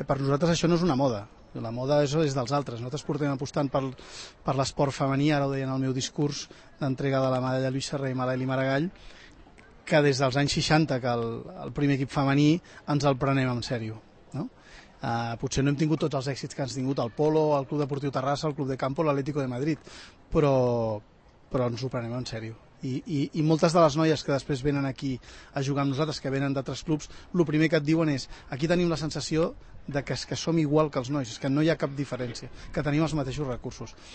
Per nosaltres això no és una moda, la moda és dels altres. Nosaltres portem apostant per l'esport femení, ara ho deia en el meu discurs d'entrega de la medalla Lluís Serra i Malaeli Maragall, que des dels anys 60, que el primer equip femení ens el prenem en sèrio, no? Potser no hem tingut tots els èxits que han tingut el Polo, el Club Deportiu Terrassa, el Club de Campo, l'Atlético de Madrid, però ens ho prenem en sèrio. I moltes de les noies que després venen aquí a jugar amb nosaltres, que venen d'altres clubs, el primer que et diuen és: aquí tenim la sensació de que som igual que els nois, és que no hi ha cap diferència, que tenim els mateixos recursos.